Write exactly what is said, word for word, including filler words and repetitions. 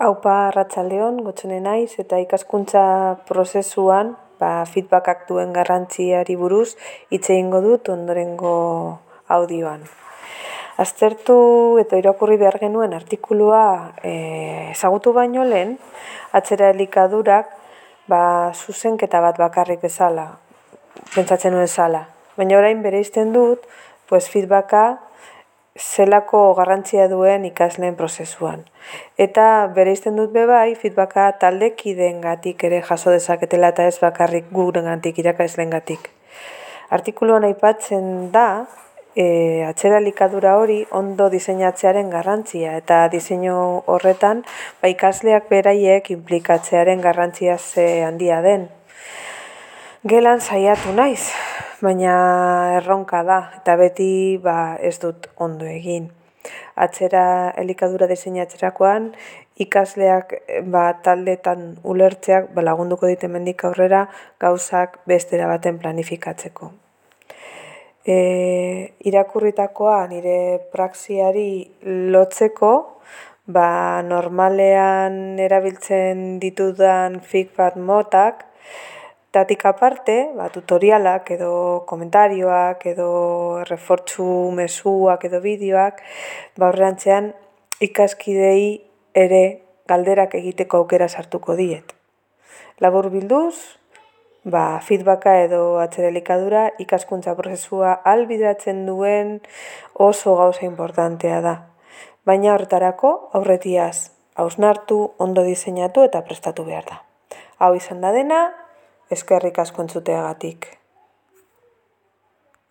Aupa arratsaldeon, Gotzone naiz eta ikaskuntza prozesuan ba, feedbackak duen garrantziari buruz hitz egingo dut ondorengo audioan. Aztertu eta irakurri behar genuen artikulua eh, ezagutu baino lehen, atzera elikadurak ba, zuzenketa bat bakarrik bezala, pentsatzen nuen zala. Baina orain bereizten dut, pues feedbacka zelako garrantzia duen ikasleen prozesuan. Eta bereizten dut bebai, feedbacka taldekideengatik ere jaso dezaketela eta ez bakarrik gurengatik, irakasleengatik. Artikuluan aipatzen da, e, atzera elikadura hori ondo diseinatzearen garrantzia eta diseinu horretan ba, ikasleak beraiek inplikatzearen garrantzia ze handia den. Gelan saiatu naiz, baina erronka da eta beti ba, ez dut ondo egin. Atzera elikadura diseinatzerakoan ikasleak ba, taldetan ulertzeak ba, lagunduko dit hemendik aurrera gauzak bestera baten planifikatzeko. E, irakurritakoa nire praxiari lotzeko ba, normalean erabiltzen ditudan feedback motak tatik aparte, ba, tutorialak edo komentarioak edo refortzu mezuak edo bideoak ba, aurrerantzean ikaskidei ere galderak egiteko aukera sartuko diet. Labur bilduz, ba, feedbacka edo atzera elikadura ikaskuntza prozesua ahalbideratzen duen oso gauza importantea da. Baina horretarako aurretiaz hausnartu, ondo diseinatu eta prestatu behar da. Hau izan da dena, eskerrik asko entzuteagatik.